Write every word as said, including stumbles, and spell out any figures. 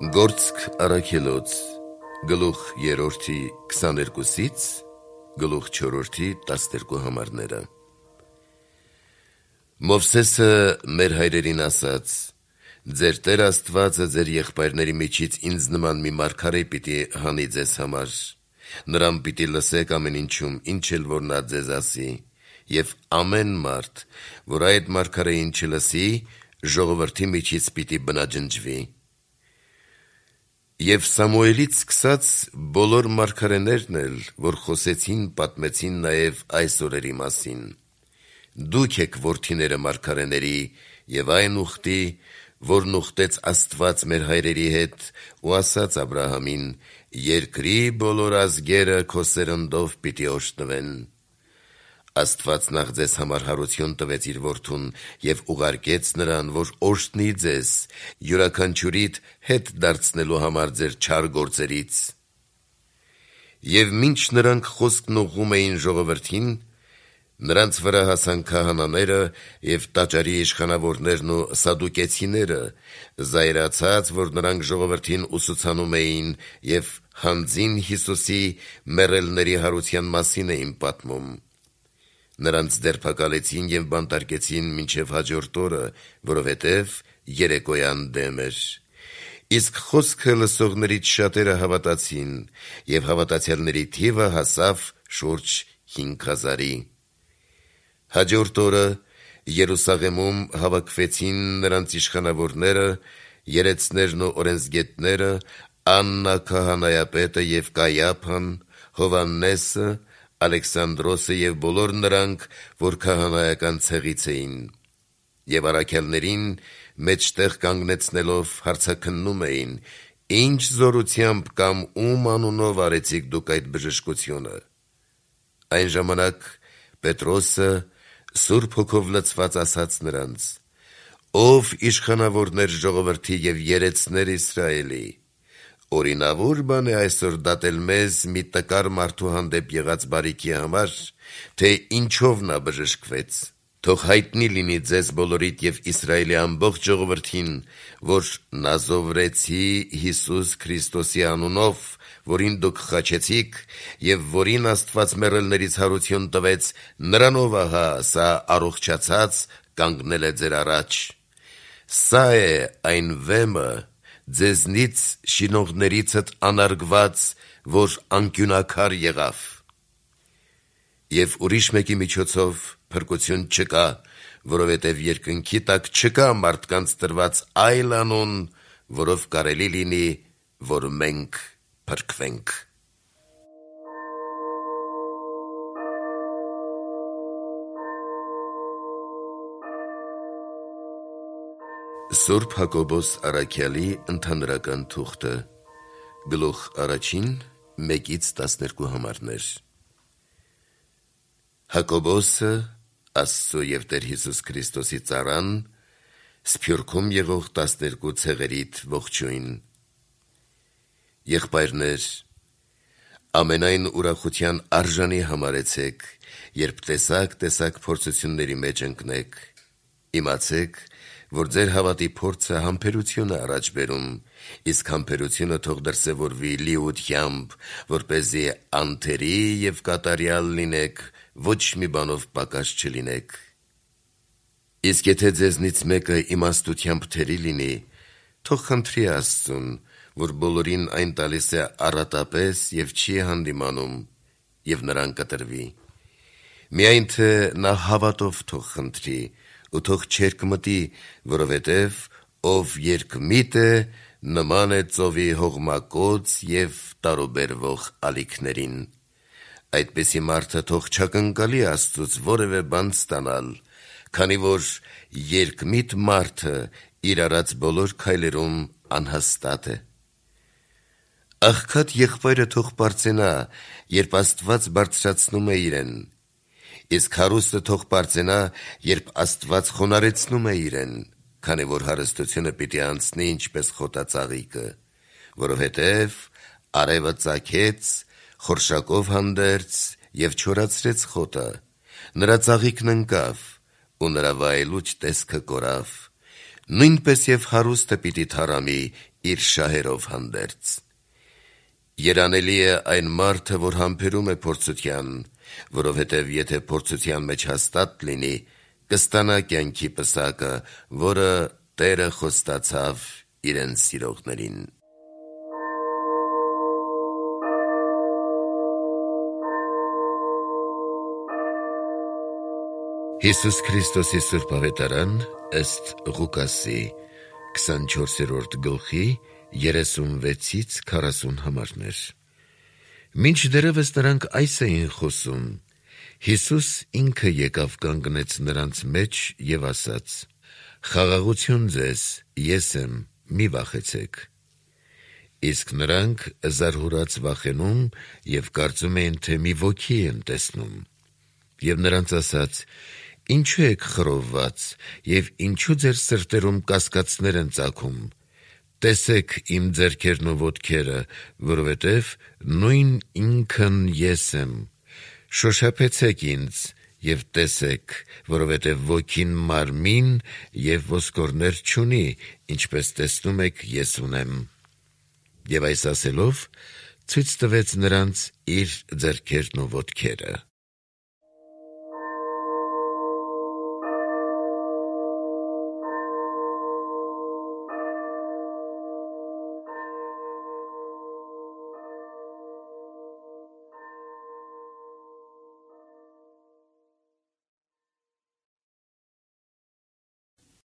Գործք առաքելոց, գլուխ երրորդի քսաներկուսից, գլուխ չորրորդի տասներկու համարները։ Մովսեսը մեր հայրերին ասաց. «Ձեր Տեր Աստվածը ձեր եղբայրների միջից ինձ նման մի մարգարե պիտի հանի ձեզ համար, նրան պիտի լսեք ամեն ինչում, ինչ էլ որ նա ձեզ ասի, և ամեն մարդ, որ այդ մարգարեին չլսի, ժողովրդի միջից պիտի բնաջնջվի»։ Եվ Սամուելից սկսած բոլոր մարգարեներն էլ, որ խոսեցին, պատմեցին նաև այս օրերի մասին։ Դուք եք որդիները մարգարեների և այն ուխտի, որն ուխտեց Աստված մեր հայրերի հետ ու ասաց Աբրահամին. «Երկրի բոլոր ազգերը քո սերնդով պիտի օրհնվեն»։ Աստված նախ ձեզ համար հարություն տվեց իր որդուն և ուղարկեց նրան, որ օրհնի ձեզ, յուրաքանչյուրիդ հետ դարձնելու համար ձեր չար գործերից։ Եվ մինչ նրանք խոսքն ուղղում էին ժողովրդին, նրանց վրա հասան քահանաները և տաճարի իշխանավորներն ու սադուկեցիները, զայրացած, որ նրանք ժողովրդին ուսուցանում էին և հանձին Հիսուսի մեռելների հարության մասին էին պատմում։ Նրանց ձերբակալեցին և բանտարկեցին մինչև հաջորդ օրը, որովհետև երեկոյան դեմ էր։ Իսկ խոսքը լսողներից շատերը հավատացին, և հավատացյալների թիվը հասավ շուրջ հինգ հազարի։ Հաջորդ օրը Երուսաղեմում հավաքվեցին նրանց իշխանավորները, երեցներն ու օրենսգետները, Աննա քահանայապետը և Կայափան, Հովհաննեսը, Ալեքսանդրոսը և բոլոր նրանք, որ քահանայական ցեղից էին, և առաքյալներին մեջտեղ կանգնեցնելով հարցաքննում էին. «Ինչ զորությամբ կամ ում անունով արեցիք դուք այդ բժշկությունը»։ Այն ժամանակ Պետրոսը Սուրբ Հոգով լցված ասաց նրանց. «Ով իշխանավորներ ժողովրդի և երեցներ Իսրայելի, օրինավոր բան է այսօր դատել մեզ մի տկար մարդու հանդեպ եղած բարիքի համար, թե ինչով նա բժշկվեց։ Թող հայտնի լինի ձեզ բոլորիդ և Իսրայելի ամբողջ ժողովրդին, որ Նազովրեցի Հիսուս Քրիստոսի անունով, որին դուք խաչեցիք և որին Աստված մեռելներից հարություն տվեց, նրանով ահա սա առողջացած կանգնել է ձեր առաջ։ Սա է այն վեմը, ձեզնից շինողներիցդ անարգված, որ անկյունաքար եղավ։ Եվ ուրիշ մեկի միջոցով փրկություն չկա, որովհետև երկնքի տակ չկա մարդկանց տրված այլ անուն, որով կարելի լինի, որ մենք փրկվենք»։ Սուրբ Հակոբոս առաքյալի ընդհանրական թուղթը, գլուխ առաջին, մեկից տասներկու համարներ։ Հակոբոսը, Աստծո և Տեր Հիսուս Քրիստոսի ծառան, Սփյուռքում եղող տասներկու ցեղերիդ ողջույն։ Եղբայրներ, ամենայն ուրախության արժանի համարեցեք, երբ տեսակ-տեսակ փորձությունների մեջ ընկնեք։ Իմացեք, որ ձեր հավատի փորձը համբերություն է առաջ բերում, իսկ համբերությունը թող դրսևորվի լիությամբ, որպեսզի անթերի և կատարյալ լինեք, ոչ մի բանով պակաս չլինեք։ Իսկ եթե ձեզնից մեկը իմաստությամբ թերի լինի, թող խնդրի Աստծուն, որ բոլորին այն տալիս է առատապես և չի հանդիմանում, և նրան կտրվի։ Միայն թե նա հավատով թող խնդրի, ու թող չերկմտի, որովհետև ով երկմիտ է, նման է ծովի հողմակոծ և տարուբերվող ալիքներին։ Այդպիսի մարդը թող չակնկալի Աստծուց որևէ բան ստանալ, քանի որ երկմիտ մարդը իր արած բոլոր քայլերում անհաստատ է։ Աղքատ եղբայրը թող պարծենա, երբ Աստված բարձրացնում է իրեն, իսկ հարուստը թող պարծենա, երբ Աստված խոնարհեցնում է իրեն, քանի որ հարստությունը պիտի անցնի ինչպես խոտածաղիկը, որովհետև արևը ծագեց, խորշակով հանդերձ և չորացրեց խոտը, նրա ծաղիկն ընկավ, ու նրա վայելուչ տեսքը կորավ։ Նույնպես և հարուստը պիտի թառամի, իր շահերով հանդերձ։ Երանելի է այն մարդը, որ համբերում է փորձության, որովհետև եթե փորձության մեջ հաստատ լինի, կստանա կյանքի պսակը, որը Տերը խոստացավ իրեն սիրողներին։ Հիսուս Քրիստոսի Սուրբ Ավետարան ըստ Ղուկասի քսանչորսերորդ գլխի երեսունվեցից քառասուն համարներ։ Մինչդեռևս նրանք այս էին խոսում, Հիսուս ինքը եկավ կանգնեց նրանց մեջ և ասաց. «Խաղաղություն ձեզ, ես եմ, մի վախեցեք»։ Իսկ նրանք զարհուրած վախենում և կարծում էին, թե մի ոգի են տեսնում։ Եվ նրանց ասաց. «Ինչու եք խռովված, և ինչու ձեր սրտերում կասկածներ են ծագում. տեսեք իմ ձեռքերն ու ոտքերը, որովհետև նույն ինքն ես եմ. շոշափեցեք ինձ և տեսեք, որովհետև ոգին մարմին և ոսկորներ չունի, ինչպես տեսնում եք ես ունեմ»։ Եվ այս ասելով, ցույց տվեց նրանց իր ձեռքերն ու ոտքերը։